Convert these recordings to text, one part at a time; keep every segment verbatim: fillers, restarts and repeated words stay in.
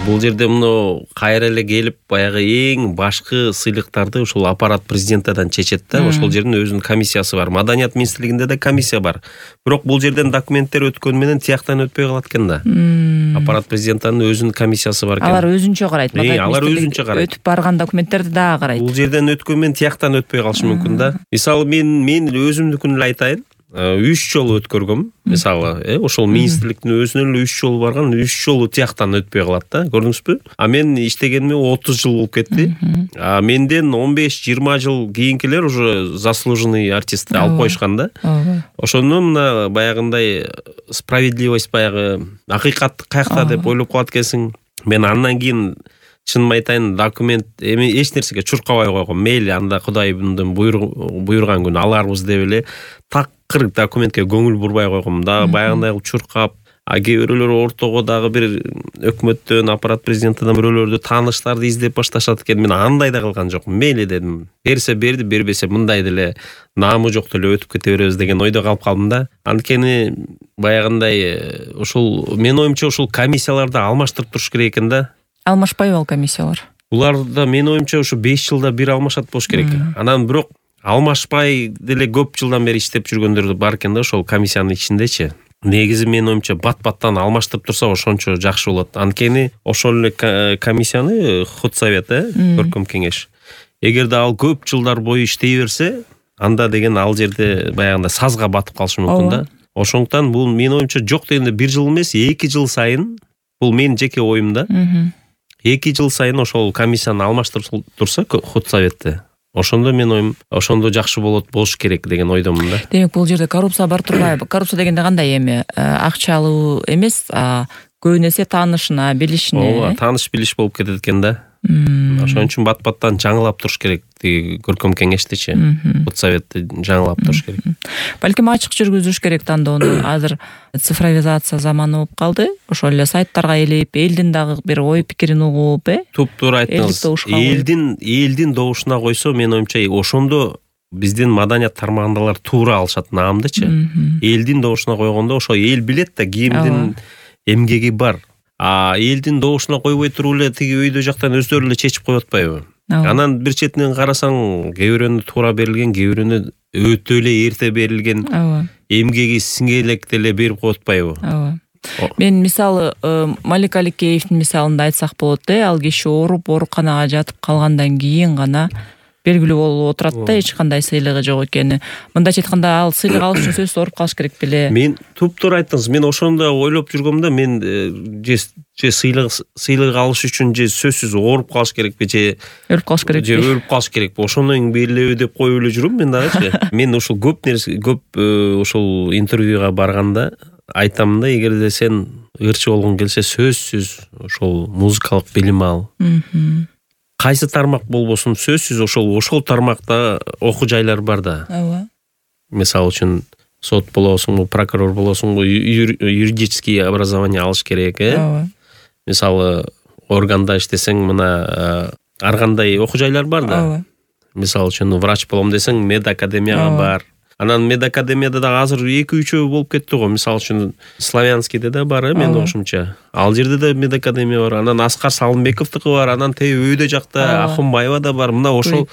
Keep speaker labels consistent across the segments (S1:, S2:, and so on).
S1: Бул жерде мына кайра эле келип баягы эң башкы сыйлыктарды ушул аппарат президентадан чечет да. Ошол жердин өзүнүн комиссиясы бар. Маданият министрлигинде да комиссия бар. Бирок бул жерден документтер өткөнү менен тияктан өтпөй калат экен да. Аппарат президентанын өзүнүн комиссиясы бар экен.
S2: Алар өзүнчө карайт.
S1: Алар өзүнчө карайт.
S2: Өтүп барган документтерди дагы карайт.
S1: Бул жерден өткөн менен тияктан өтпөй калышы мүмкүн да. Мисалы мен мен өзүмдүкүн эле айтайын. үч жолу өткөргөм. Мисалы, э ошол министрликтин өзүнө эле үч жолу барган, үч жолу тияктан өтпөй калат да. Көрдүңүзбү? А мен иштегениме отуз жыл болуп кетти. А менден он беш жыйырма жыл кийинкилер уже заслуженный артист алып коюшкан да. Ошондо мына баягындай справедливость, баягы акыйкат каякта деп ойлоп калат экенсиң. Мен андан кийин чынын айтайын, документ эми эч нерсеге чуркабай койгом. Мейли анда Кудайымдын буйруган күнү аларбыз деп эле такыр документке көңүл бурбай койгом да. Баягындай чуркап, а кээ бирөөлөр ортого дагы бир өкмөттөн, аппарат президентидан бирөөлөрдү тааныштарды издеп башташат экен. Мен андай да кылган жокмун. Мейли дедим. Берсе берди, бербесе мындай деле наамы жок деле өтүп кете беребиз деген ойдо калып калдым да. Анткени баягындай ушул менин оюмча ушул комиссияларды алмаштырып туруш керек экен да.
S2: Алмашпайбы ал комиссиялар?
S1: Булар да менин оюмча ушу беш жылда бир алмашат болуш керек. Анан бирок алмашпай деле көп жылдан бери иштеп жүргөндөр бар экен да ошол комиссиянын ичиндечи. Негизи менин оюмча бат-баттан алмаштырып турса ошончо жакшы болот. Анткени ошол эле комиссияны худсовет, э, көркөм кеңеш. Эгерде ал көп жылдар бою иштей берсе, анда деген ал жерде баягында сазга батып калышы мүмкүн да. Ошондуктан бул менин оюмча жок дегенде бир жыл эмес, эки жыл сайын, бул менин жеке оюм да. эки жыл сайын ошол комиссияны алмаштырып турса худсоветте, ошондо мен оюм ошондо жакшы болот, болуш керек деген ойдомун да.
S2: Демек бул жерде коррупция бар турбайбы? Коррупция дегенде кандай эми? Акча алуу эмес, а көбүн эсе таанышына, билишине.
S1: Ооба, тааныш билиш болуп кетет экен да. Ошон үчүн бат-баттан жаңылап туруш керек. Көркөм кеңештичи, худсоветти жаңылап туруш керек.
S2: Балким ачык жүргүзүш керек тандоону. Азыр цифровизация заманы болуп калды. Ошол эле сайттарга элип, элдин дагы бир ой пикирин угуп, э?
S1: Туп-туура айттыңыз. Элдин элдин добушуна койсо, менин оюмча ошондо биздин маданият тармагындагылар туура алышат наамдычы. Элдин добушуна койгондо ошо эл билет да, кимдин эмгеги бар. А элдин добушуна койбой туруп эле тиги өйдө жактан өздөрү эле чечип коюп атпайбы? Анан бир четинен карасаң, кээ бирөөнү туура берилген, кээ бирөөнү өтө эле эрте берилген, эмгеги сиңелек деле берип коюп атпайбы?
S2: Ооба. Мен мисалы Малик Аликеевдин мисалында айтсак болот, э, ал киши ооруп ооруканага жатып калгандан кийин гана белгилүү болуп отурат да, эч кандай сыйлыгы жок экени. Мындайча айтканда, ал сыйлык алыш үчүн сөзсүз ооруп калыш керек беле?
S1: Мен туп-туура айттыңыз. Мен ошондо ойлоп жүргөм да, мен же же сыйлык сыйлык алыш үчүн же сөзсүз ооруп калыш керекпи, же
S2: өлүп калыш керекпи?
S1: Же өлүп калыш керекпи? Ошондон белгилеби деп коюп эле жүрөм мен дагычы. Мен ошол көп нерсе, көп ошол интервьюга барганда айтам да, эгерде сен ырчы болгоң келсе, сөзсүз ошол музыкалык билим ал. Кайсы тармак болбосун, сөзсүз ошол ошол тармакта окуу жайлар бар да.
S2: Ооба.
S1: Мисалы үчүн сот болосуңбу, прокурор болосуңбу, юридический образование алыш керек, э?
S2: Ооба.
S1: Мисалы органда иштесең, мына ар кандай окуу жайлар бар да.
S2: Ооба.
S1: Мисалы үчүн врач болом десең, медакадемияга бар. Анан медакадемияда да азыр эки үчөө болуп кетти го. Мисалы үчүн Славянскийде да бар, мен окушумча. Ал жерде да медакадемия бар. Анан Аскар Салымбековдуку бар. Анан тээ өйдө жакта Ахунбаева да бар. Мына ошол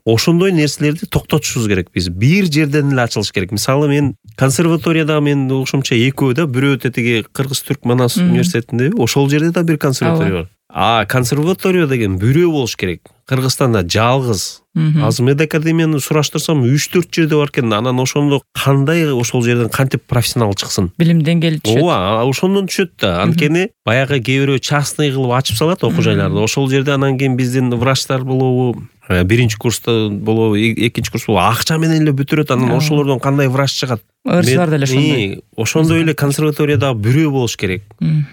S1: ошондой нерселерди токтотушубуз керек биз. Бир жерден эле ачылыш керек. Мисалы мен консерваторияда мен окушумча экөө да, бирөө тетиги Кыргыз-Түрк Манас университетинде, ошол жерде да бир консерватория бар. А консерватория деген бирөө болуш керек. Кыргызстанда жалгыз. Азыр медакадемияны сураштырсам үч төрт жерде бар экен. Анан ошондо кандай ошол жерден кантип профессионал чыксын?
S2: Билим деңгээли түшөт.
S1: Ооба, ошондон түшөт да. Анткени баягы кээ бирөө частный кылып ачып салат окуу жайларды. Ошол жерде анан кийин биздин врачтар болобу, биринчи курста болобу, экинчи курс болобу, акча менен эле бүтүрөт. Анан ошолордон кандай врач чыгат?
S2: Ырчылар деле ошондой.
S1: Ошондой эле консерваторияда бирөө болуш керек.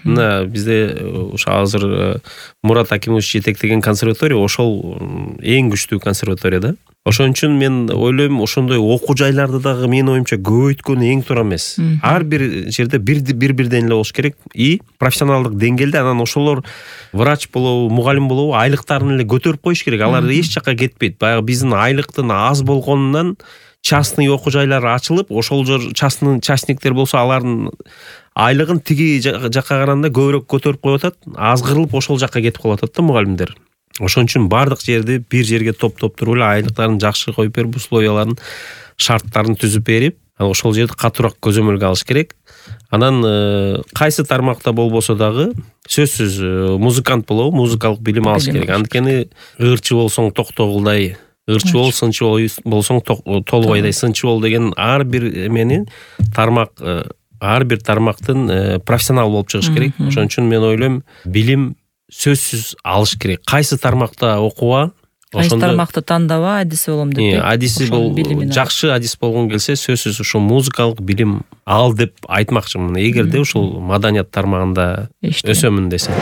S1: Мына бизде ошо азыр Мурат Акимович жетектеген консерватория ошол эң күчтүү консерватория да. Ошон үчүн мен ойлойм, ошондой окуу жайларды дагы менин оюмча көбөйткөн эң туура эмес. Ар бир жерде бир-бирден эле болуш керек и профессионалдык деңгээлде. Анан ошолор врач болобу, мугалим болобу, айлыктарын эле көтөрүп коюш керек. Алар эч жакка кетпейт. Баягы биздин айлыктын аз болгонунан частный окуу жайлар ачылып, ошол жер частный частниктер болсо, алардын айлыгын тиги жакка караганда көбүрөөк көтөрүп коюп атат, азгырылып ошол жакка кетип калып атат да мугалимдер. Ошон үчүн бардык жерди бир жерге топтоптуруп эле айлыктарын жакшы коюп берип, условияларын, шарттарын түзүп берип, ошол жерди катуураак көзөмөлгө алыш керек. Анан кайсы тармакта болбосо дагы сөзсүз музыкант болобу, музыкалык билим алыш керек. Анткени ырчы болсоң токтогулдай, ырчы бол, сынчы болсоң толбойдай сынчы бол деген ар бир эмени тармак, ар бир тармактын профессионал болуп чыгыш керек. Ошон үчүн мен ойлойм, билим сөзсүз алыш керек. Кайсы тармакта окуба,
S2: кайсы тармакты тандаба, адиси болом деп.
S1: Адиси бол, жакшы адис болгон келсе, сөзсүз ошо музыкалык билим ал деп айтмакчымын. Эгерде ушул маданият тармагында өсөмүн десе.